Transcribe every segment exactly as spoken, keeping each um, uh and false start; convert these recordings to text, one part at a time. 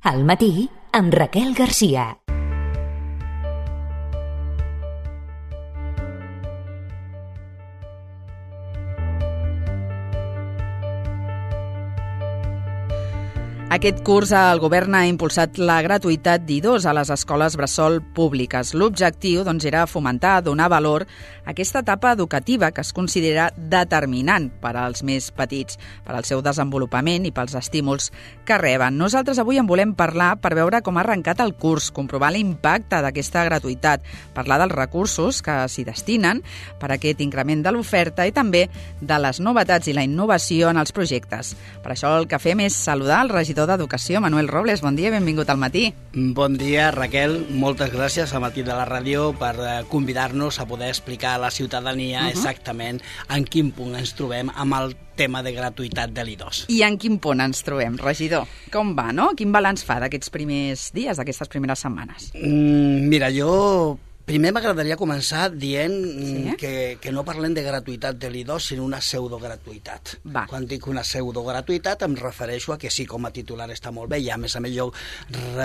Al matí, amb Raquel Garcia. Aquest curs el govern ha impulsat la gratuïtat d'i dos a les escoles bressol públiques. L'objectiu doncs, era fomentar, donar valor a aquesta etapa educativa que es considera determinant per als més petits, per al seu desenvolupament i pels estímuls que reben. Nosaltres avui en volem parlar per veure com ha arrencat el curs, comprovar l'impacte d'aquesta gratuïtat, parlar dels recursos que s'hi destinen per a aquest increment de l'oferta i també de les novetats i la innovació en els projectes. Per això el que fem és saludar el regidor d'Educació, Manuel Robles. Bon dia, benvingut al matí. Bon dia, Raquel. Moltes gràcies al Matí de la Ràdio per convidar-nos a poder explicar a la ciutadania uh-huh. exactament en quin punt ens trobem amb el tema de gratuïtat de l'i dos. I en quin punt ens trobem, regidor? Com va, no? Quin balanç fa d'aquests primers dies, d'aquestes primeres setmanes? Mm, mira, jo... Primer m'agradaria començar dient sí? que, que no parlem de gratuïtat de l'i dos, sinó una pseudogratuïtat. Va. Quan dic una pseudogratuïtat em refereixo a que sí, com a titular està molt bé, i a més a més jo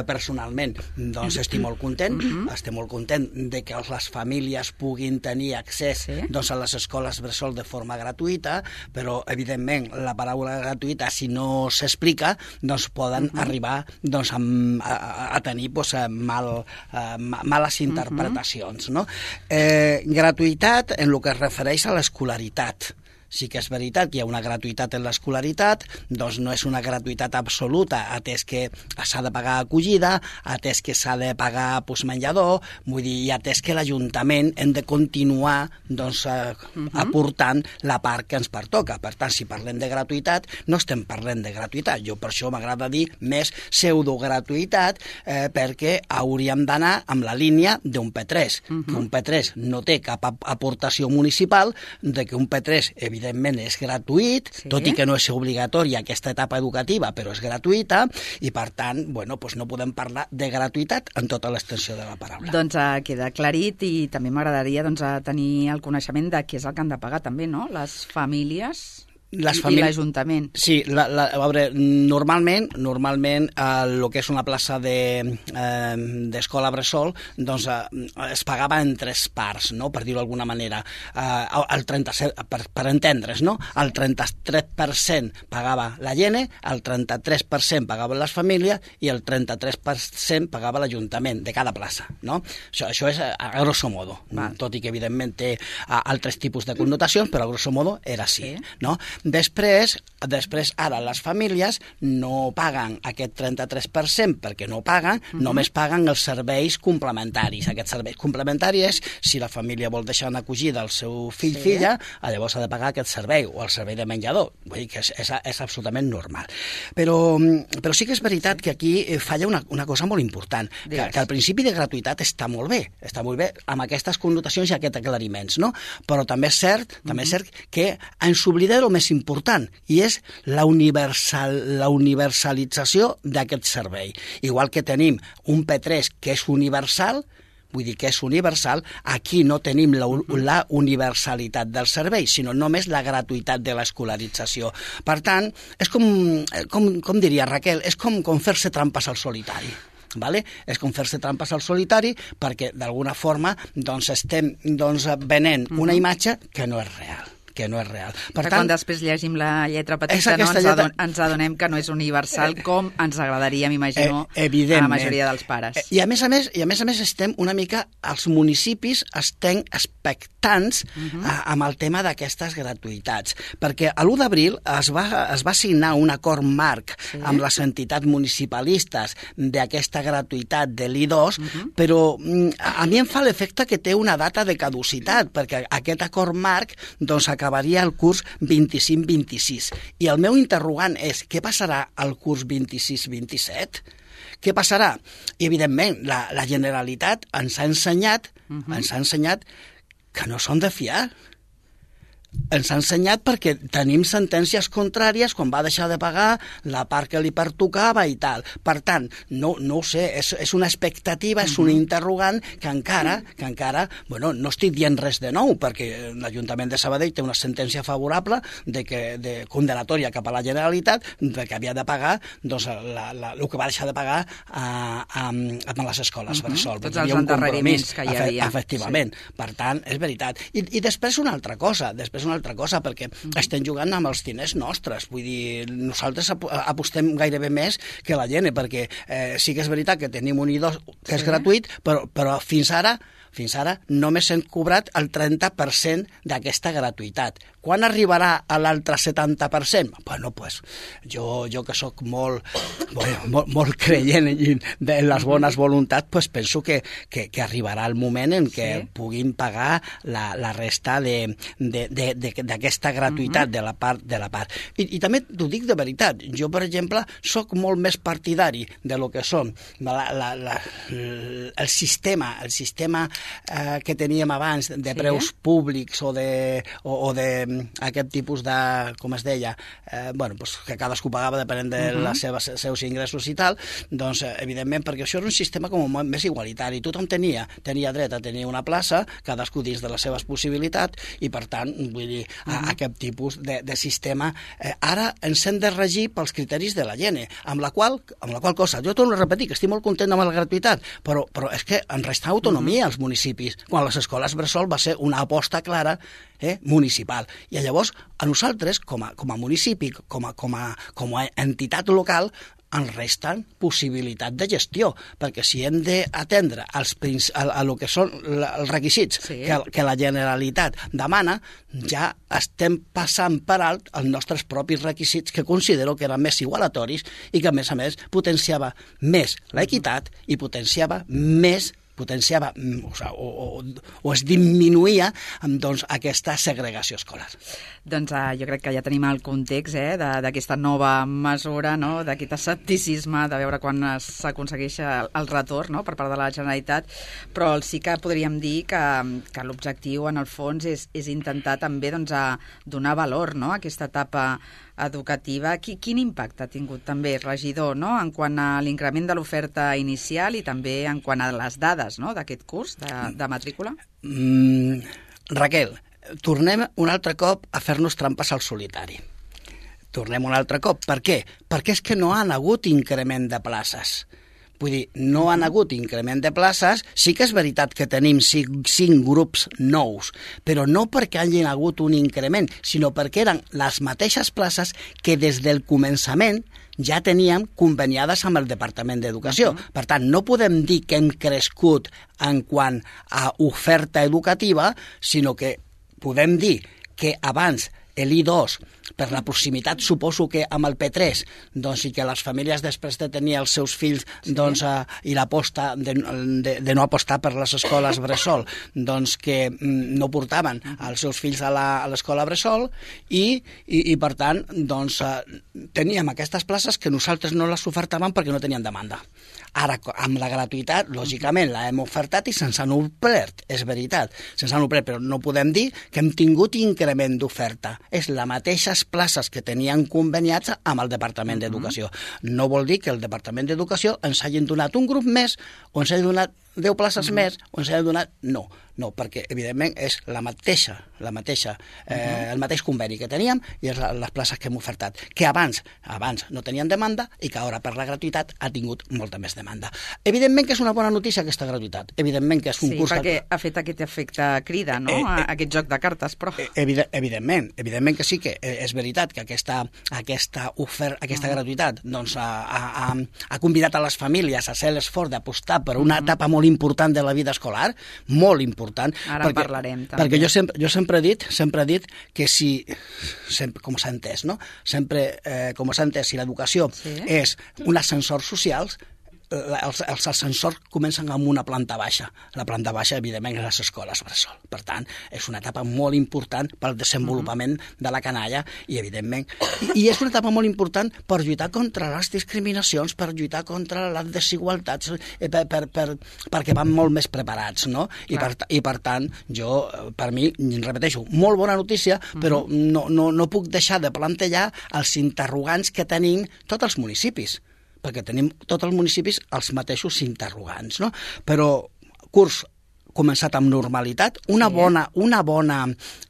personalment doncs estic molt content, mm-hmm. estic molt content de que les famílies puguin tenir accés sí? doncs, a les escoles bressol de forma gratuïta, però evidentment la paraula gratuïta, si no s'explica, doncs poden mm-hmm. arribar doncs, a, a, a tenir doncs, mal, a, males interpretacions. Mm-hmm. No? Eh, gratuïtat en el que es refereix a l'escolaritat. Sí que és veritat que hi ha una gratuïtat en l'escolaritat, doncs no és una gratuïtat absoluta, atès que s'ha de pagar acollida, atès que s'ha de pagar pues, menjador, vull dir, i atès que l'Ajuntament hem de continuar doncs, eh, uh-huh. aportant la part que ens pertoca. Per tant, si parlem de gratuïtat, no estem parlant de gratuïtat. Jo per això m'agrada dir més pseudogratuïtat, eh, perquè hauríem d'anar amb la línia d'un P tres, uh-huh. que un P tres no té cap aportació municipal, de que un P tres, evidentment, evidentment és gratuït, sí. tot i que no és obligatòria aquesta etapa educativa, però és gratuïta, i per tant, bueno, doncs no podem parlar de gratuïtat en tota l'extensió de la paraula. Doncs uh, queda aclarit, i també m'agradaria doncs, tenir el coneixement de què és el que han de pagar també, no? Les famílies... Les famílies... I l'Ajuntament. Sí, la, la, a veure, normalment, normalment el eh, que és una plaça de, eh, d'escola bressol doncs, eh, es pagava en tres parts, no? Per dir-ho d'alguna manera. Eh, el trenta-set, per, per entendre's, no? El trenta-tres per cent pagava la Gene, el trenta-tres per cent pagaven les famílies i el trenta-tres per cent pagava l'Ajuntament de cada plaça, no? Això, això és a, a grosso modo, Val. Tot i que evidentment té a, altres tipus de connotacions, però a grosso modo era així, sí. no? Després, després, ara les famílies no paguen aquest trenta-tres per cent perquè no paguen, uh-huh. només paguen els serveis complementaris. Aquests serveis complementaris, si la família vol deixar una acollida al seu fill o sí. filla, llavors ha de pagar aquest servei, o el servei de menjador. Vull dir que és, és, és absolutament normal. Però, però sí que és veritat sí. que aquí falla una, una cosa molt important, que, que el principi de gratuïtat està molt bé, està molt bé amb aquestes connotacions i aquests aclariments, no? Però també és cert, uh-huh. també és cert que ens oblidem el més important, i és la, universal, la universalització d'aquest servei. Igual que tenim un P tres que és universal, vull dir que és universal, aquí no tenim la, la universalitat del servei, sinó només la gratuïtat de l'escolarització. Per tant, és com, com, com diria Raquel, és com, com fer-se trampes al solitari. Vale? És com fer-se trampes al solitari perquè d'alguna forma doncs, estem doncs, venent una imatge que no és real. que no és real. Per que tant, quan després llegim la lletra petita no, ens, lletra... adon, ens adonem que no és universal com ens agradaria, m'imagino, eh, a la majoria dels pares. I a més a més, i a més a més estem una mica, els municipis estem expectants uh-huh. a, amb el tema d'aquestes gratuïtats, perquè l'u d'abril es va, es va signar un acord marc sí. amb les entitats municipalistes d'aquesta gratuïtat de l'i dos, uh-huh. però a mi em fa l'efecte que té una data de caducitat, perquè aquest acord marc doncs acabaria el curs vint-i-cinc vint-i-sis. I el meu interrogant és, què passarà al curs vint-i-sis vint-i-set? Què passarà? I, evidentment, la, la Generalitat ens ha ensenyat, uh-huh. ens ha ensenyat que no són de fiar. ens ha ensenyat perquè tenim sentències contràries quan va deixar de pagar la part que li pertocava i tal. Per tant, no, no ho sé, és, és una expectativa, és un interrogant que encara, que encara, bueno, no estic dient res de nou, perquè l'Ajuntament de Sabadell té una sentència favorable de que, de condenatòria cap a la Generalitat, de que havia de pagar doncs, la, la, el que va deixar de pagar a, a, a les escoles uh -huh. bressol. Tots els endarreriments que hi havia. Efectivament. Sí. Per tant, és veritat. I, i després una altra cosa, després una altra cosa, perquè uh-huh. estem jugant amb els diners nostres. Vull dir, nosaltres ap apostem gairebé més que la gent, perquè eh, sí que és veritat que tenim un I dos que és sí. gratuït, però, però fins ara fins ara només hem cobrat el trenta per cent d'aquesta gratuïtat. Quan arribarà a l'altre setanta per cent? Bueno, pues, jo, jo que sóc molt, molt, molt creient de les bones voluntats, pues penso que, que, que arribarà el moment en què sí. puguin pagar la, la resta d'aquesta gratuïtat uh-huh. de la part. De la part. I, I també t'ho dic de veritat. Jo, per exemple, sóc molt més partidari de lo que són la, la, la, el sistema, el sistema eh, que teníem abans de preus sí. públics o de, o, o de aquest tipus de, com es deia, eh, bueno, pues, que cadascú pagava depenent de uh-huh. les seves, seus ingressos i tal, doncs, eh, evidentment, perquè això era un sistema com més igualitari. Tothom tenia, tenia dret a tenir una plaça, cadascú dins de les seves possibilitats, i, per tant, vull dir, uh-huh. a, aquest tipus de, de sistema eh, ara ens hem de regir pels criteris de la Gene, amb la qual, amb la qual cosa, jo torno a repetir que estic molt content amb la gratuïtat, però, però és que en resta autonomia als municipis, quan les escoles bressol va ser una aposta clara eh, municipal. I llavors, a nosaltres, com a, com a municipi, com a, com a, com a entitat local, ens resten possibilitat de gestió, perquè si hem d'atendre a, a, a lo que són els requisits sí. que, que la Generalitat demana, ja estem passant per alt els nostres propis requisits, que considero que eren més igualatoris i que, a més a més, potenciava més l'equitat i potenciava més potenciava o, o, o, o es diminuïa doncs, aquesta segregació escolar. Doncs uh, jo crec que ja tenim el context eh, d'aquesta nova mesura, no? D'aquest escepticisme de veure quan s'aconsegueix el, el retorn no? per part de la Generalitat, però sí que podríem dir que, que l'objectiu en el fons és, és intentar també doncs, a donar valor no? a aquesta etapa educativa. Quin impacte ha tingut també, regidor, no? en quant a l'increment de l'oferta inicial i també en quant a les dades no? d'aquest curs de, de matrícula? Mm, Raquel, tornem un altre cop a fer-nos trampes al solitari. Tornem un altre cop. Per què? Perquè és que no han hagut increment de places. Vull dir, no han hagut increment de places, sí que és veritat que tenim cinc, cinc grups nous, però no perquè hagin hagut un increment, sinó perquè eren les mateixes places que des del començament ja teníem conveniades amb el Departament d'Educació. Uh-huh. Per tant, no podem dir que hem crescut en quant a oferta educativa, sinó que podem dir que abans l'I dos, per la proximitat, suposo que amb el P tres, doncs, i que les famílies després de tenir els seus fills doncs, eh, i l'aposta de, de, de no apostar per les escoles bressol, doncs que mm, no portaven els seus fills a l'escola bressol i, i, i per tant, doncs, eh, teníem aquestes places que nosaltres no les ofertàvem perquè no tenien demanda. Ara, amb la gratuïtat, lògicament, la hem ofertat i se'ns han omplert, és veritat, se'ns han omplert, però no podem dir que hem tingut increment d'oferta. És la mateixes places que tenien conveniats amb el Departament d'Educació. No vol dir que el Departament d'Educació ens hagin donat un grup més o ens hagin donat deu places uh-huh. més o ens hagin donat... No, no, perquè evidentment és la mateixa, la mateixa, eh, uh-huh. el mateix conveni que teníem i és la, les places que hem ofertat, que abans abans no tenien demanda i que ara per la gratuïtat ha tingut molta més demanda. Evidentment que és una bona notícia aquesta gratuïtat, evidentment que és un sí, curs... Sí, perquè ha fet aquest efecte crida, no?, eh, eh, aquest joc de cartes, però... Evident, evidentment, evidentment que sí que és veritat que aquesta, aquesta, ofer, aquesta uh-huh. gratuïtat doncs, ha, ha, ha convidat a les famílies a fer l'esforç d'apostar per una uh-huh. etapa molt important de la vida escolar, molt important. Ara perquè, parlarem també. Perquè jo sempre, jo sempre he dit, sempre he dit que si, sempre, com s'ha entès, no? Sempre, eh, com s'ha entès, si l'educació sí. és un ascensor social, els, els ascensors comencen amb una planta baixa. La planta baixa, evidentment, és les escoles bressol. Per tant, és una etapa molt important pel desenvolupament uh-huh. de la canalla i, evidentment, i, i és una etapa molt important per lluitar contra les discriminacions, per lluitar contra les desigualtats, eh, per, per, per, perquè van molt més preparats, no? I per, I per tant, jo, per mi, repeteixo, molt bona notícia, uh-huh. però no, no, no puc deixar de plantejar els interrogants que tenim tots els municipis, perquè tenim tots els municipis els mateixos interrogants, no? Però curs començat amb normalitat. Una sí. bona, una bona,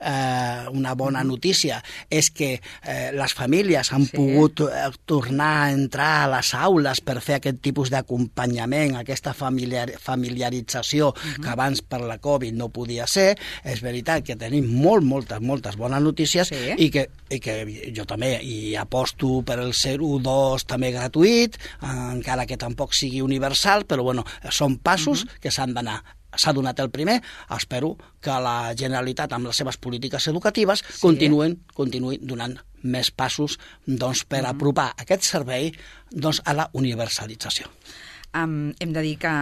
eh, una bona notícia és que eh, les famílies han sí. pogut eh, tornar a entrar a les aules per fer aquest tipus d'acompanyament, aquesta familiar, familiarització uh-huh. que abans per la Covid no podia ser. És veritat que tenim molt, moltes, moltes bones notícies sí. i, que, i que jo també hi aposto per el zero dos també gratuït, eh, encara que tampoc sigui universal, però bueno, són passos uh-huh. que s'han d'anar. S'ha donat el primer, espero que la Generalitat amb les seves polítiques educatives sí. continuen, continuï donant més passos doncs, per mm-hmm. apropar aquest servei doncs, a la universalització. Um, hem de dir que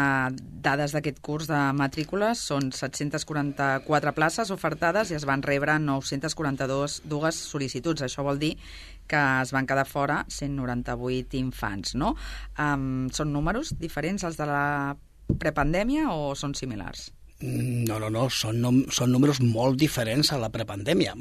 dades d'aquest curs de matrícules són set-cents quaranta-quatre places ofertades i es van rebre nou-cents quaranta-dos dues sol·licituds. Això vol dir que es van quedar fora cent noranta-vuit infants, no? Um, són números diferents als de la prepandèmia o són similars? No, no, no, són, són números molt diferents a la prepandèmia,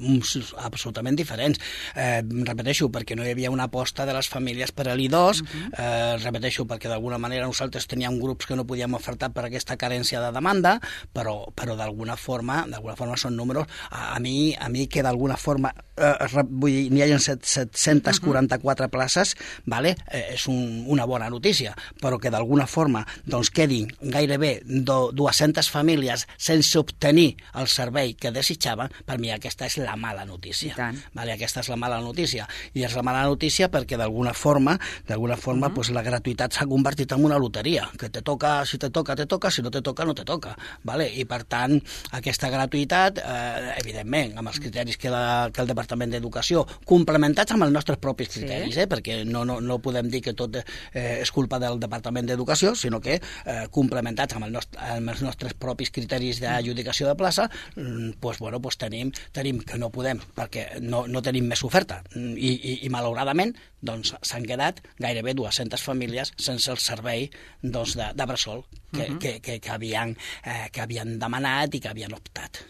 absolutament diferents. Eh, repeteixo, perquè no hi havia una aposta de les famílies per a l'I dos, uh-huh. eh, repeteixo, perquè d'alguna manera nosaltres teníem grups que no podíem ofertar per aquesta carència de demanda, però, però d'alguna forma, d'alguna forma són números, a, a mi, a mi que d'alguna forma, eh, vull dir, n'hi ha set-cents quaranta-quatre uh-huh. places, vale? eh, és un, una bona notícia, però que d'alguna forma doncs, quedin gairebé do, dues-centes famílies sense obtenir el servei que desitjaven, per mi aquesta és la mala notícia. Vale? Aquesta és la mala notícia. I és la mala notícia perquè d'alguna forma, d'alguna forma, uh-huh. pues, la gratuïtat s'ha convertit en una loteria, que te toca, si te toca, te toca, si no te toca, no te toca. Vale? I per tant, aquesta gratuïtat, eh, evidentment, amb els criteris que, la, que el Departament d'Educació, complementats amb els nostres propis criteris, sí. eh? perquè no, no, no podem dir que tot eh, és culpa del Departament d'Educació, sinó que eh, complementats amb, el nostre, amb els nostres propis criteris d'adjudicació de plaça, doncs, bueno, doncs tenim, tenim que no podem, perquè no, no tenim més oferta. I, i, i malauradament doncs, s'han quedat gairebé dues-centes famílies sense el servei doncs, de, de bressol que, uh-huh. que, que, que, havien, eh, que havien demanat i que havien optat.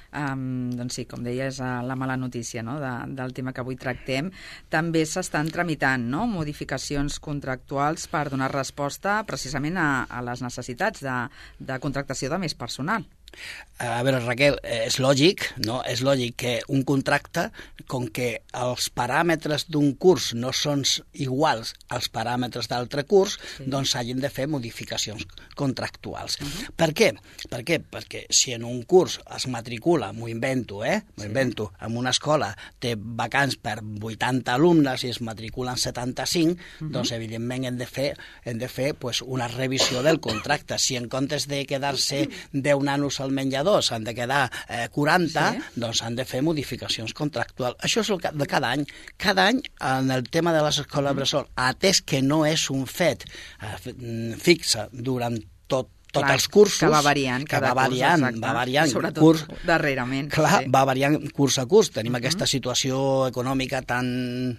Um, doncs sí, com deia, és la mala notícia, no?, de, del tema que avui tractem. També s'estan tramitant, no?, modificacions contractuals per donar resposta precisament a, a les necessitats de, de contractació de més personal. A veure, Raquel, és lògic, no? És lògic que un contracte, com que els paràmetres d'un curs no són iguals als paràmetres d'altre curs, sí. doncs s'hagin de fer modificacions contractuals. Uh-huh. Per què? Per què? Perquè si en un curs es matricula, m'ho invento, eh? M'ho sí. invento, en una escola té vacants per vuitanta alumnes i es matriculen setanta-cinc, uh-huh. doncs evidentment hem de fer, hem de fer pues, una revisió del contracte. Si en comptes de quedar-se deu nanos al menjador s'han de quedar eh, quaranta, sí. doncs han de fer modificacions contractuals. Això és el de cada any. Cada any, en el tema de les escoles bressol, atès que no és un fet eh, fixe durant tot tots clar, els cursos, que va variant, que va variant, curs, va variant, sobretot curs, darrerament. Clar, sí. va variant curs a curs. Tenim uh-huh. aquesta situació econòmica tan,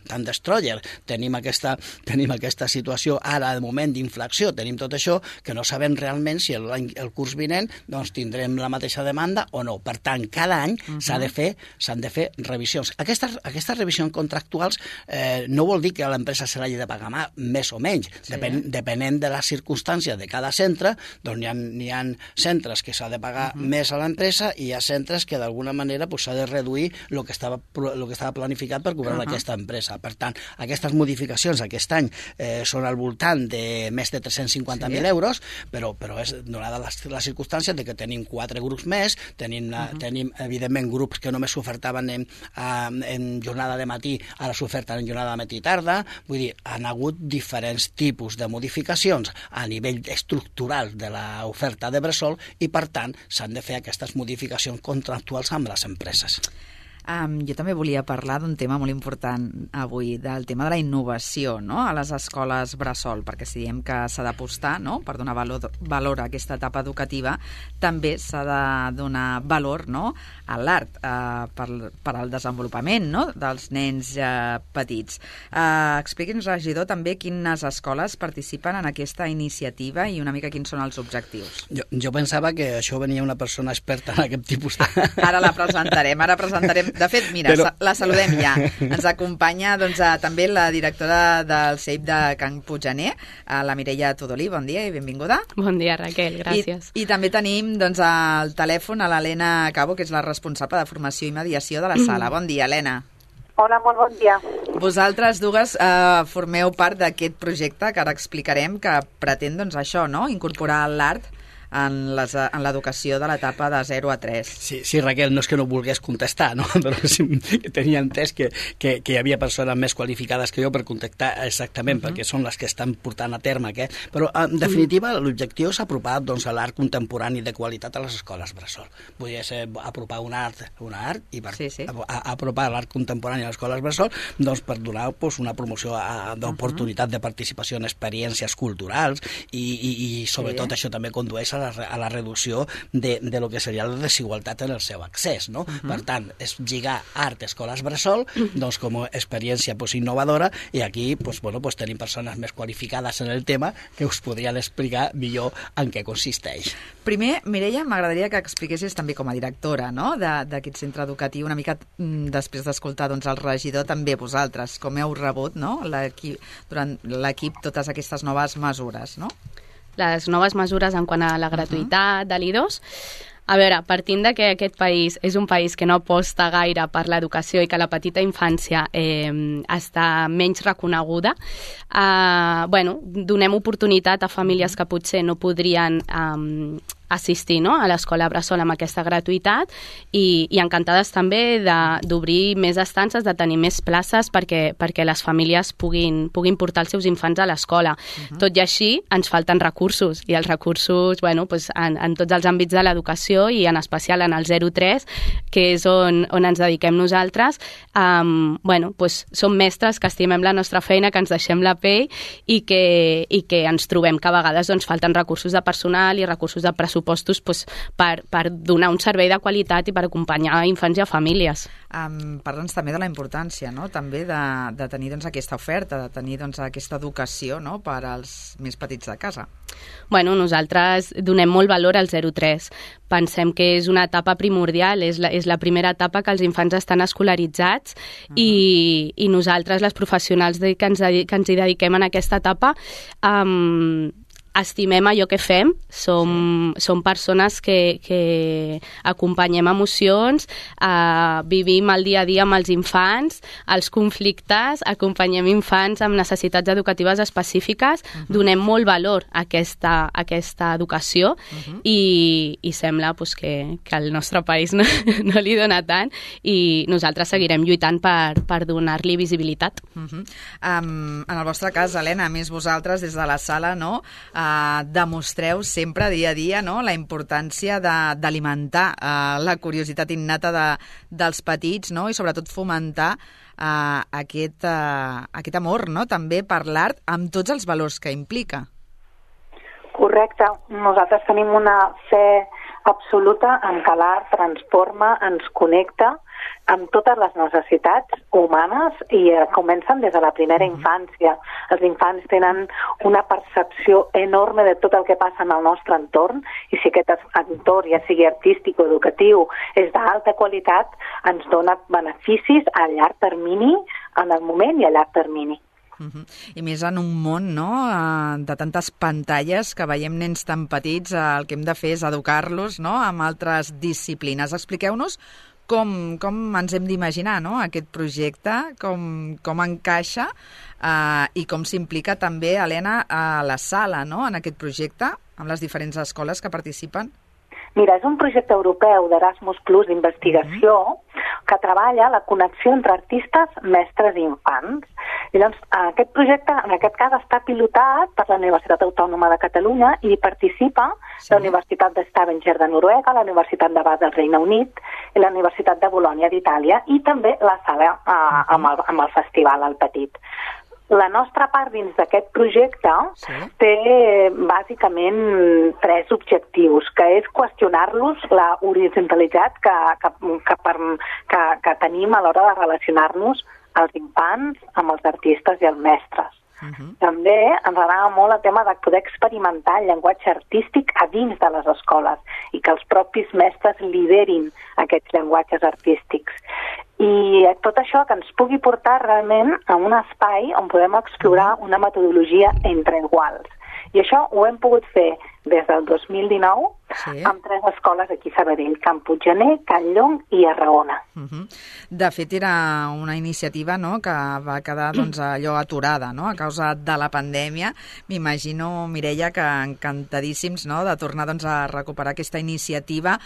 tan destroyer, tenim aquesta, tenim aquesta situació ara, de moment, d'inflació, tenim tot això, que no sabem realment si el, el curs vinent doncs, tindrem la mateixa demanda o no. Per tant, cada any uh-huh. s'ha de fer, s'han de fer revisions. Aquestes, aquestes revisions contractuals eh, no vol dir que a l'empresa se l'hagi de pagar més o menys, sí. Depen, depenent de les circumstàncies de cada centre, doncs n'hi ha, n'hi ha centres que s'ha de pagar uh-huh. més a l'empresa i hi ha centres que d'alguna manera pues, s'ha de reduir el que estava, el que estava planificat per cobrar uh-huh. aquesta empresa. Per tant, aquestes modificacions aquest any eh, són al voltant de més de tres-cents cinquanta mil sí. euros, però, però és donada la, la circumstància de que tenim quatre grups més, tenim, uh-huh. tenim evidentment grups que només s'ofertaven en, en jornada de matí, ara s'oferten en jornada de matí i tarda, vull dir, han hagut diferents tipus de modificacions a nivell estructural de la oferta de bressol i, per tant, s'han de fer aquestes modificacions contractuals amb les empreses. Um, jo també volia parlar d'un tema molt important avui, del tema de la innovació, no?, a les escoles bressol, perquè si diem que s'ha d'apostar, no?, per donar valor, valor a aquesta etapa educativa, també s'ha de donar valor, no?, a l'art, uh, per, per al desenvolupament, no?, dels nens uh, petits. Uh, expliqui'ns, regidor, també quines escoles participen en aquesta iniciativa i una mica quins són els objectius. Jo, jo pensava que això venia una persona experta en aquest tipus de... Ara la presentarem, ara presentarem... De fet, mira, Però... la saludem ja. Ens acompanya doncs, a, també la directora del C E I P de Can Puiggener, la Mireia Tudolí. Bon dia i benvinguda. Bon dia, Raquel, gràcies. I, i també tenim doncs, al telèfon a l'Helena Cabo, que és la responsable de formació i mediació de la sala. Bon dia, Helena. Hola, molt bon dia. Vosaltres dues eh, formeu part d'aquest projecte que ara explicarem, que pretén doncs, això, no?, incorporar l'art en les, en l'educació de l'etapa de zero a tres. Sí, sí, Raquel, no és que no volgués contestar, no? Però sí, tenia entès que, que, que hi havia persones més qualificades que jo per contactar exactament, uh -huh. perquè són les que estan portant a terme aquest. Però, en definitiva, l'objectiu és apropar doncs, a l'art contemporani de qualitat a les escoles bressol. Vull dir, apropar un art, un art i per sí, sí. A, a, apropar l'art contemporani a les escoles bressol doncs, per donar doncs, una promoció d'oportunitat uh -huh. de participació en experiències culturals i, i, i sobretot sí. això també condueix a la, a la reducció de, de lo que seria la desigualtat en el seu accés, no? Uh-huh. Per tant, és lligar art a escoles bressol doncs, com a experiència pues, innovadora i aquí pues, bueno, pues, tenim persones més qualificades en el tema que us podrien explicar millor en què consisteix. Primer, Mireia, m'agradaria que expliquessis també com a directora, no?, d'aquest centre educatiu, una mica després d'escoltar doncs, el regidor, també vosaltres, com heu rebut, no?, l'equip, durant l'equip totes aquestes noves mesures, no? Les noves mesures en quant a la gratuïtat uh -huh. de l'I dos. A veure, partint de que aquest país és un país que no aposta gaire per l'educació i que la petita infància eh, està menys reconeguda, eh, bueno, donem oportunitat a famílies que potser no podrien eh, assistir, no?, a l'escola bressol amb aquesta gratuïtat i, i encantades també d'obrir més estances, de tenir més places perquè, perquè les famílies puguin, puguin portar els seus infants a l'escola. Uh-huh. Tot i així, ens falten recursos i els recursos, bueno, pues, en, en tots els àmbits de l'educació i en especial en el zero tres, que és on, on ens dediquem nosaltres, um, bueno, pues, som mestres que estimem la nostra feina, que ens deixem la pell i que, i que ens trobem que a vegades doncs, falten recursos de personal i recursos de pressupost pressupostos pues, per, per donar un servei de qualitat i per acompanyar infants i a famílies. Um, Parla'ns també de la importància, no?, també de, de tenir doncs, aquesta oferta, de tenir doncs, aquesta educació, no?, per als més petits de casa. Bueno, nosaltres donem molt valor al zero tres. Pensem que és una etapa primordial, és la, és la primera etapa que els infants estan escolaritzats uh-huh. i, i nosaltres, les professionals de, que, ens, que ens hi dediquem en aquesta etapa, um, estimem allò que fem, som, sí. som persones que, que acompanyem emocions, eh, vivim el dia a dia amb els infants, els conflictes, acompanyem infants amb necessitats educatives específiques, uh-huh. donem molt valor a aquesta, a aquesta educació uh-huh. i, i sembla pues, que, que el nostre país no, no li dona tant i nosaltres seguirem lluitant per, per donar-li visibilitat. Uh-huh. um, en el vostre cas, Helena, a més vosaltres des de la sala, no?, Uh, demostreu sempre dia a dia, no?, la importància d'alimentar uh, la curiositat innata de, dels petits, no?, i sobretot fomentar uh, aquest, uh, aquest amor, no?, també per l'art amb tots els valors que implica. Correcte. Nosaltres tenim una fe absoluta en que l'art transforma, ens connecta amb totes les necessitats humanes i eh, comencen des de la primera infància. Els infants tenen una percepció enorme de tot el que passa en el nostre entorn i si aquest entorn, ja sigui artístic o educatiu, és d'alta qualitat, ens dona beneficis a llarg termini, en el moment i a llarg termini. Uh-huh. I més en un món, no?, de tantes pantalles que veiem nens tan petits, el que hem de fer és educar-los, no?, amb altres disciplines. Expliqueu-nos com, com ens hem d'imaginar, no?, aquest projecte, com, com encaixa eh, i com s'implica també, Helena, a la sala, no?, en aquest projecte, amb les diferents escoles que participen. Mira, és un projecte europeu d'Erasmus Plus d'investigació mm-hmm. que treballa la connexió entre artistes, mestres i infants. I llavors, aquest projecte, en aquest cas, està pilotat per la Universitat Autònoma de Catalunya i participa sí. la Universitat de Stavanger de Noruega, la Universitat de Bath del Regne Unit i la Universitat de Bolònia d'Itàlia i també la sala eh, uh-huh. amb, el, amb el festival al Petit. La nostra part dins d'aquest projecte sí. té bàsicament tres objectius, que és qüestionar-los la horitzontalitat que, que, que, per, que, que tenim a l'hora de relacionar-nos els infants amb els artistes i els mestres. Uh-huh. També ens agrada molt el tema de poder experimentar el llenguatge artístic a dins de les escoles i que els propis mestres liderin aquests llenguatges artístics. I tot això que ens pugui portar realment a un espai on podem explorar una metodologia entre iguals. I això ho hem pogut fer des del dos mil dinou sí. amb tres escoles aquí a Sabadell, Can Puiggener, Can Llong i Arraona. Uh-huh. De fet, era una iniciativa no, que va quedar doncs, allò aturada no, a causa de la pandèmia. M'imagino, Mireia, que encantadíssims no, de tornar doncs, a recuperar aquesta iniciativa.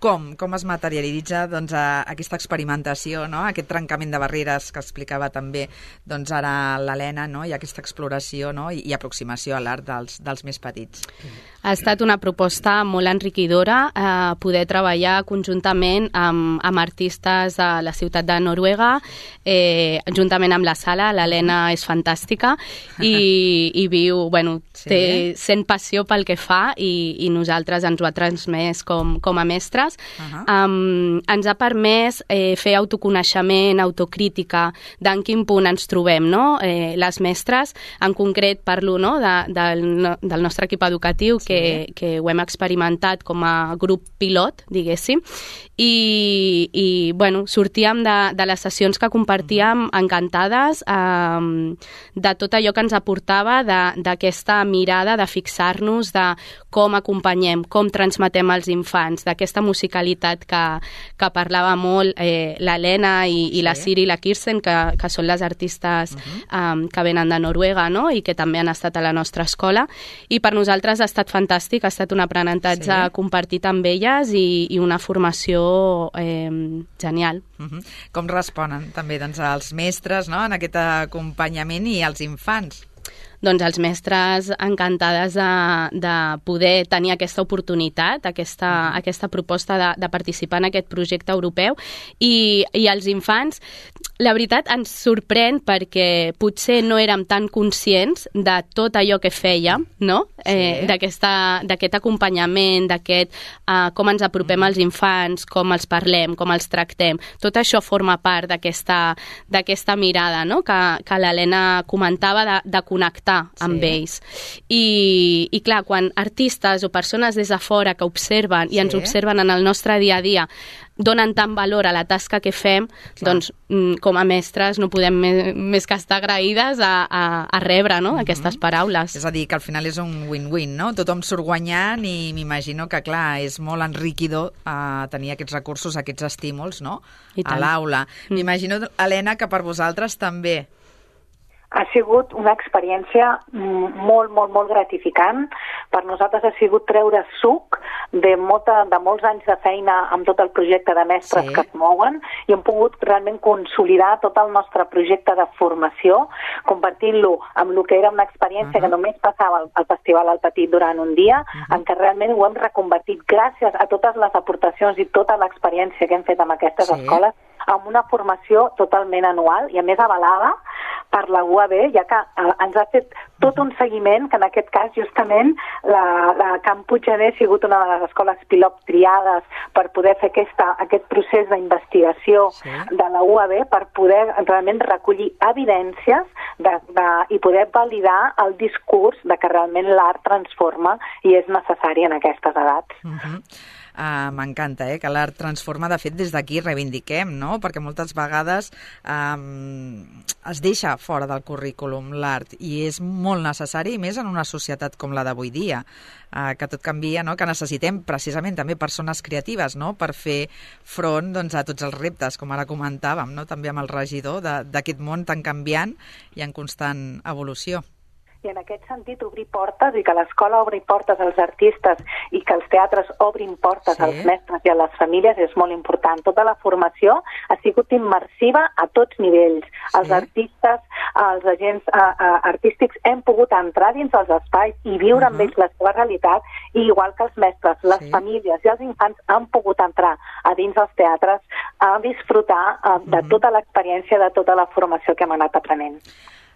Com? Com es materialitza doncs, aquesta experimentació, no? Aquest trencament de barreres que explicava també doncs, ara l'Helena no? I aquesta exploració no? I, i aproximació a l'art dels, dels més petits? Ha estat una proposta molt enriquidora eh, poder treballar conjuntament amb, amb artistes de la ciutat de Noruega, eh, juntament amb la sala. L'Helena és fantàstica i, i viu, bueno, sí. té, sent passió pel que fa i, i nosaltres ens ho ha transmès com, com a mestres. Uh-huh. Um, ens ha permès eh, fer autoconeixement, autocrítica d'en quin punt ens trobem, no? Eh, les mestres, en concret parlo no? de, del, del nostre equip educatiu sí. que, que ho hem experimentat com a grup pilot, diguéssim, i, i bueno, sortíem de, de les sessions que compartíem uh-huh. encantades um, de tot allò que ens aportava d'aquesta mirada de fixar-nos de com acompanyem, com transmetem als infants, d'aquesta musicalitat que, que parlava molt eh, l'Helena i, i la Siri i la Kirsten, que, que són les artistes uh-huh. um, que venen de Noruega no? I que també han estat a la nostra escola. I per nosaltres ha estat fantàstic, ha estat un aprenentatge sí. compartit amb elles i, i una formació eh, genial. Uh-huh. Com responen també doncs, els mestres no? En aquest acompanyament i els infants? Doncs els mestres encantades de, de poder tenir aquesta oportunitat, aquesta, mm. aquesta proposta de, de participar en aquest projecte europeu i, i els infants, la veritat ens sorprèn perquè potser no érem tan conscients de tot allò que fèiem, no? Sí. Eh, d'aquest acompanyament, d'aquest uh, com ens apropem mm. als infants, com els parlem, com els tractem. Tot això forma part d'aquesta mirada no? que, que l'Helena comentava de, de connectar amb sí. ells. I, I clar, quan artistes o persones des de fora que observen sí. i ens observen en el nostre dia a dia donen tant valor a la tasca que fem, clar. Doncs com a mestres no podem més, més que estar agraïdes a, a, a rebre no? uh-huh. aquestes paraules. És a dir, que al final és un win-win, no? Tothom surt guanyant i m'imagino que, clar, és molt enriquidor uh, tenir aquests recursos, aquests estímuls, no? A l'aula. Mm. M'imagino, Helena, que per vosaltres també. Ha sigut una experiència molt, molt, molt gratificant. Per nosaltres ha sigut treure suc de, molta, de molts anys de feina amb tot el projecte de mestres sí. que es mouen i hem pogut realment consolidar tot el nostre projecte de formació, compartint-lo amb el que era una experiència uh-huh. que només passava al, al Festival al Petit durant un dia, uh-huh. en què realment ho hem reconvertit gràcies a totes les aportacions i tota l'experiència que hem fet amb aquestes sí. escoles, amb una formació totalment anual i a més avalada per la U A B, ja que eh, ens ha fet tot un seguiment, que en aquest cas justament la, la Can Puiggener ha sigut una de les escoles pilot triades per poder fer aquesta, aquest procés d'investigació sí. de la U A B per poder realment recollir evidències de, de, i poder validar el discurs de que realment l'art transforma i és necessari en aquestes edats. Uh-huh. Uh, m'encanta, eh, que l'art transforma. De fet, des d'aquí reivindiquem, no? Perquè moltes vegades um, es deixa fora del currículum l'art i és molt necessari, més en una societat com la d'avui dia, uh, que tot canvia, no? Que necessitem precisament també persones creatives, no? Per fer front doncs, a tots els reptes, com ara comentàvem, no? També amb el regidor d'aquest món tan canviant i en constant evolució. I en aquest sentit, obrir portes i que l'escola obri portes als artistes i que els teatres obrin portes sí. als mestres i a les famílies és molt important. Tota la formació ha sigut immersiva a tots nivells. Sí. Els artistes, els agents uh, uh, artístics hem pogut entrar dins els espais i viure uh -huh. amb ells la seva realitat, i igual que els mestres, les sí. famílies i els infants han pogut entrar a dins els teatres a disfrutar uh, de uh -huh. tota l'experiència, de tota la formació que hem anat aprenent.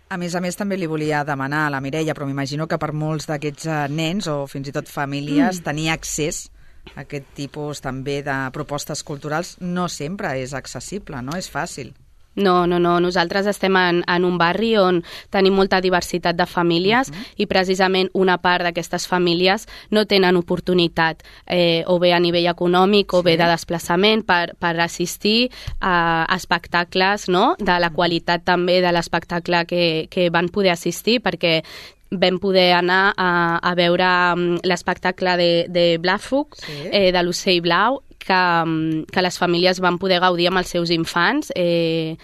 A més a més, també li volia demanar a la Mireia, però m'imagino que per molts d'aquests nens o fins i tot famílies mm. tenir accés a aquest tipus també de propostes culturals no sempre és accessible, no és fàcil. No, no, no. Nosaltres estem en, en un barri on tenim molta diversitat de famílies uh-huh. i precisament una part d'aquestes famílies no tenen oportunitat eh, o bé a nivell econòmic o sí. bé de desplaçament per, per assistir a, a espectacles, no? De la qualitat també de l'espectacle que, que van poder assistir, perquè vam poder anar a, a veure l'espectacle de, de Blafug, sí. eh, de l'Ocell Blau, que, que les famílies van poder gaudir amb els seus infants. Eh,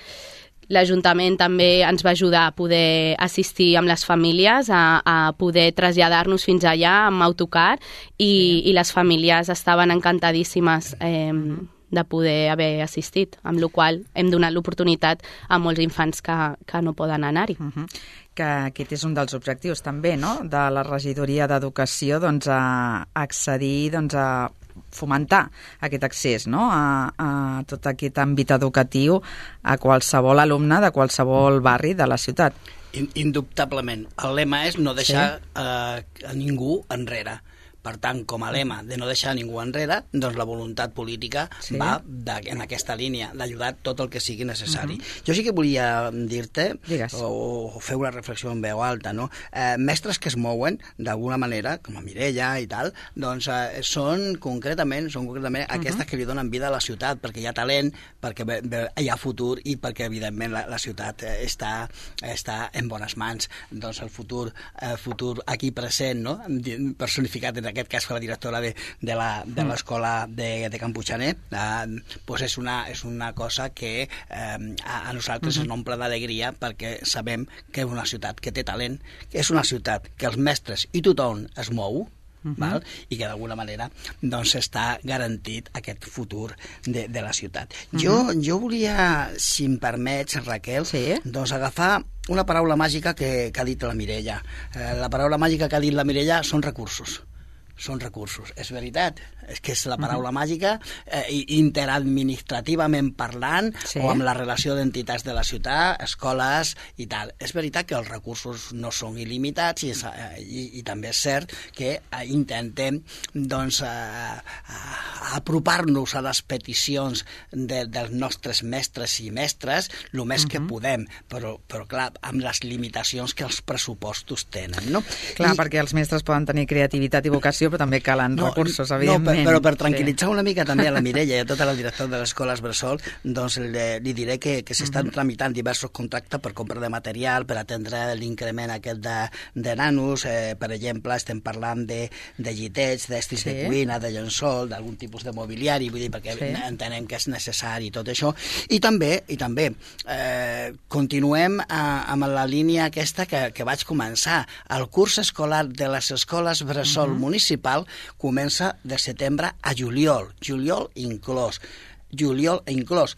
L'Ajuntament també ens va ajudar a poder assistir amb les famílies, a, a poder traslladar-nos fins allà amb autocar, i, sí. i les famílies estaven encantadíssimes eh, de poder haver assistit, amb la qual hem donat l'oportunitat a molts infants que, que no poden anar-hi. Uh -huh. Que aquest és un dels objectius també, no?, de la regidoria d'Educació, doncs, a accedir, doncs, a fomentar aquest accés, no?, a, a tot aquest àmbit educatiu a qualsevol alumne de qualsevol barri de la ciutat. Indubtablement. El lema és no deixar sí. eh, a ningú enrere. Per tant, com a lema de no deixar ningú enrere, doncs la voluntat política sí. va de, en aquesta línia, d'ajudar tot el que sigui necessari. Uh-huh. Jo sí que volia dir-te, o, o fer una reflexió en veu alta, no? Eh, mestres que es mouen, d'alguna manera, com a Mireia i tal, doncs eh, són concretament, són concretament uh-huh. aquestes que li donen vida a la ciutat, perquè hi ha talent, perquè be, be, hi ha futur i perquè, evidentment, la, la ciutat eh, està, està en bones mans. Doncs el futur, eh, futur aquí present, no?, personificat en aquest cas per la directora de, de la, de l'escola de, de Can Puigxaner, eh, pues és, una, és una cosa que eh, a, a nosaltres uh-huh. ens omple d'alegria, perquè sabem que és una ciutat que té talent, que és una ciutat que els mestres i tothom es mou, Uh-huh. val? I que d'alguna manera doncs està garantit aquest futur de, de la ciutat. Uh-huh. Jo, jo volia, si em permets, Raquel, sí? doncs agafar una paraula màgica que, que ha dit la Mireia. Eh, la paraula màgica que ha dit la Mireia són recursos. Són recursos. És veritat, és que és la paraula uh-huh. màgica, eh, interadministrativament parlant, sí. o amb la relació d'entitats de la ciutat, escoles i tal. És veritat que els recursos no són il·limitats, i, és, eh, i, i també és cert que eh, intentem doncs, eh, apropar-nos a les peticions de, dels nostres mestres i mestres el més uh-huh. que podem, però, però clar, amb les limitacions que els pressupostos tenen, no? Clar, I, perquè els mestres poden tenir creativitat i vocació, però també calen no, recursos, evidentment. No, però per tranquil·litzar sí. una mica també a la Mireia i a tota la directora de les escoles bressol, doncs li, li diré que, que s'estan uh-huh. tramitant diversos contractes per compra de material, per atendre l'increment aquest de, de nanos, eh, per exemple, estem parlant de, de llitets, d'estris sí. de cuina, de llençol, d'algun tipus de mobiliari, vull dir, perquè sí. entenem que és necessari tot això. I també, i també eh, continuem a, amb la línia aquesta que, que vaig començar. El curs escolar de les escoles bressol uh-huh. municipal comença de setembre a juliol, juliol inclòs, juliol inclòs,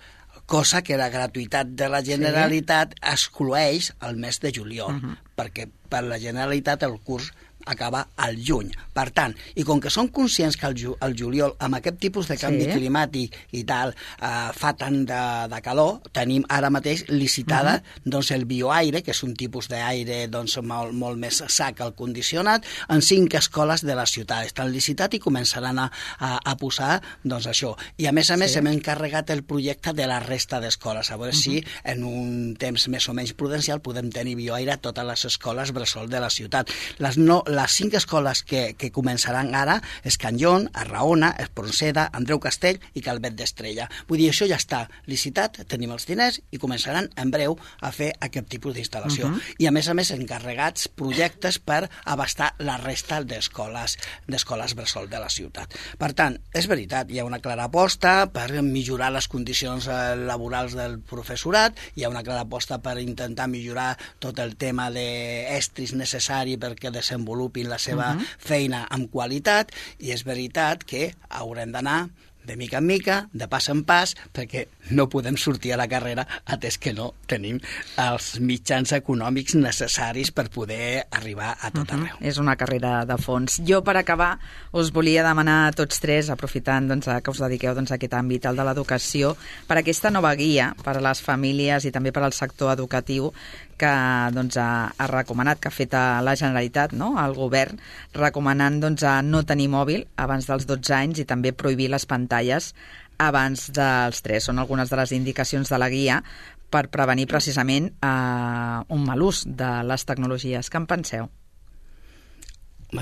cosa que la gratuïtat de la Generalitat sí. excloeix el mes de juliol, uh-huh. perquè per la Generalitat el curs acaba al juny. Per tant, i com que som conscients que el, ju el juliol, amb aquest tipus de canvi sí. climàtic i tal, eh, fa tant de, de calor, tenim ara mateix licitada uh-huh. doncs el bioaire, que és un tipus d'aire doncs, molt, molt més sa que el condicionat, en cinc escoles de la ciutat. Estan licitat i començaran a, a, a posar doncs, això. I a més a més sí. hem encarregat el projecte de la resta d'escoles, a veure uh-huh. si en un temps més o menys prudencial podem tenir bioaire a totes les escoles bressol de la ciutat. Les no les cinc escoles que, que començaran ara és Can Lyon, Arraona, Espronceda, Andreu Castell i Calvet d'Estrella. Vull dir, això ja està licitat, tenim els diners i començaran en breu a fer aquest tipus d'instal·lació. Uh -huh. I a més a més encarregats projectes per abastar la resta d'escoles d'escoles bressol de la ciutat. Per tant, és veritat, hi ha una clara aposta per millorar les condicions laborals del professorat, hi ha una clara aposta per intentar millorar tot el tema d'estris necessari perquè desenvolupin la seva uh -huh. feina amb qualitat, i és veritat que haurem d'anar de mica en mica, de pas en pas, perquè no podem sortir a la carrera atès que no tenim els mitjans econòmics necessaris per poder arribar a tot arreu. Uh-huh. És una carrera de fons. Jo, per acabar, us volia demanar a tots tres, aprofitant doncs, que us dediqueu doncs, a aquest àmbit, el de l'educació, per aquesta nova guia per a les famílies i també per al sector educatiu que doncs, ha, ha recomanat, que ha fet a la Generalitat, no?, al govern, recomanant doncs, a no tenir mòbil abans dels dotze anys i també prohibir les pantalles abans dels tres. Són algunes de les indicacions de la guia per prevenir precisament eh, un mal ús de les tecnologies. Què en penseu?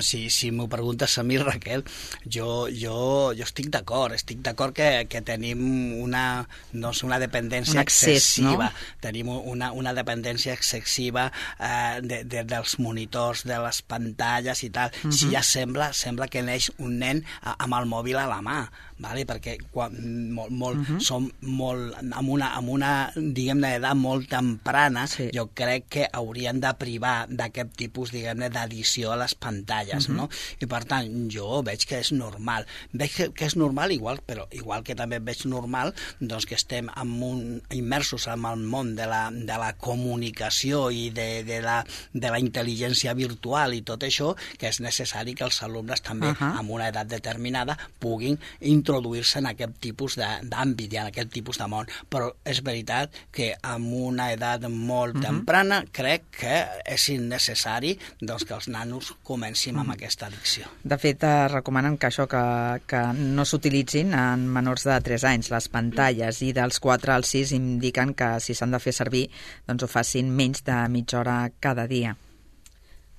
Si, si m'ho preguntes a mi, Raquel, jo, jo, jo estic d'acord, estic d'acord que, que tenim una, no sé, una dependència un accés, excessiva, no? Tenim una, una dependència excessiva eh, de, de, dels monitors, de les pantalles i tal. Uh -huh. Si ja sembla, sembla que neix un nen amb el mòbil a la mà, vale? Perquè quan, molt, molt, uh -huh. som molt, amb una, amb una diguem-ne, edat molt temprana, sí. Jo crec que haurien de privar d'aquest tipus, diguem-ne, d'addició a les pantalles. Uh-huh. No? I per tant, jo veig que és normal. Veig que, que és normal, igual, però igual que també veig normal doncs, que estem en un, immersos en el món de la, de la comunicació i de, de, la, de la intel·ligència virtual i tot això, que és necessari que els alumnes també, uh-huh. amb una edat determinada, puguin introduir-se en aquest tipus d'àmbit i en aquest tipus de món. Però és veritat que amb una edat molt uh-huh. temprana crec que és innecessari doncs, que els nanos comencin amb aquesta addicció. De fet, eh, recomanen que això que, que no s'utilitzin en menors de tres anys les pantalles, i dels quatre als sis indiquen que si s'han de fer servir doncs ho facin menys de mitja hora cada dia.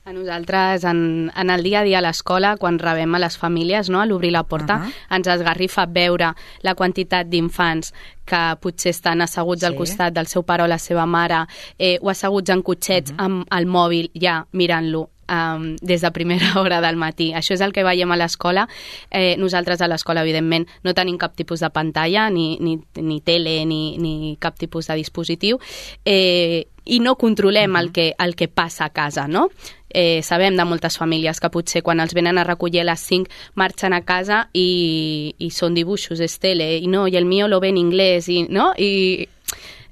A nosaltres, en, en el dia a dia a l'escola, quan rebem a les famílies, no, a l'obrir la porta, uh-huh. ens esgarrifa veure la quantitat d'infants que potser estan asseguts sí. al costat del seu pare o la seva mare, eh, o asseguts en cotxets uh-huh. amb el mòbil ja mirant-lo Um, des de primera hora del matí. Això és el que veiem a l'escola. Eh, nosaltres a l'escola, evidentment, no tenim cap tipus de pantalla, ni, ni, ni tele, ni, ni cap tipus de dispositiu, eh, i no controlem uh-huh. el, que, el que passa a casa, no? Eh, sabem de moltes famílies que potser quan els venen a recollir a les cinc marxen a casa i, i són dibuixos, és tele, i no, i el mío lo ve en inglès, i, no? I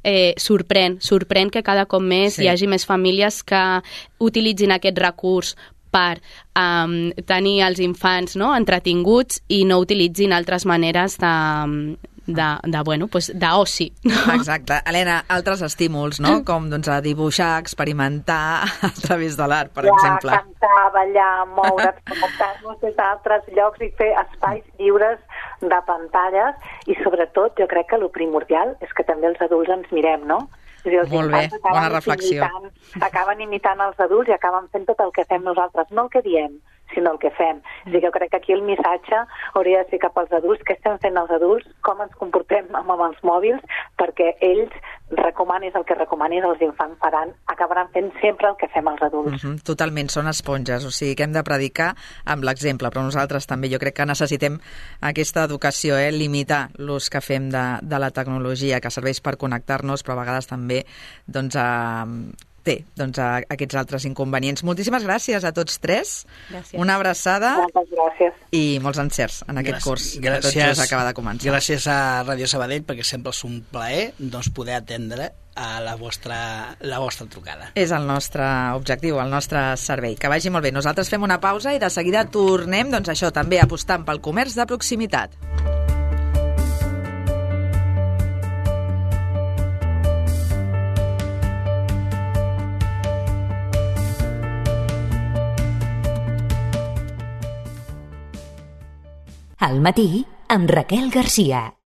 Eh, sorprèn, sorprèn que cada cop més sí. hi hagi més famílies que utilitzin aquest recurs per um, tenir els infants, no?, entretinguts, i no utilitzin altres maneres de, de, de bueno, pues, d'oci. No? Exacte. Helena, altres estímuls, no?, com doncs, a dibuixar, experimentar a través de l'art, per ja, exemple. Cantar, ballar, moure's, connectar-nos des d'altres llocs i fer espais lliures de pantalles, i sobretot jo crec que el primordial és que també els adults ens mirem, no? És dir, els Molt bé, bona reflexió. Imitant, acaben imitant els adults i acaben fent tot el que fem nosaltres, no el que diem, sinó el que fem. És a dir, jo crec que aquí el missatge hauria de ser cap als adults, què estem fent els adults, com ens comportem amb, amb els mòbils, perquè ells recomanis el que recomanis, els infants faran, acabaran fent sempre el que fem els adults. Uh-huh, totalment, són esponges, o sigui que hem de predicar amb l'exemple, però nosaltres també jo crec que necessitem aquesta educació, eh? Limitar l'ús que fem de, de la tecnologia, que serveix per connectar-nos, però a vegades també doncs, a, té doncs, a, aquests altres inconvenients. Moltíssimes gràcies a tots tres. Gràcies. Una abraçada. Moltes gràcies. I molts encerts en aquest gràcies. curs. Gràcies, tot just acaba de començar. Gràcies a Ràdio Sabadell, perquè sempre és un plaer doncs, poder atendre a la vostra, la vostra trucada. És el nostre objectiu, el nostre servei. Que vagi molt bé. Nosaltres fem una pausa i de seguida tornem, doncs això, també apostant pel comerç de proximitat. Al matí, amb Raquel Garcia.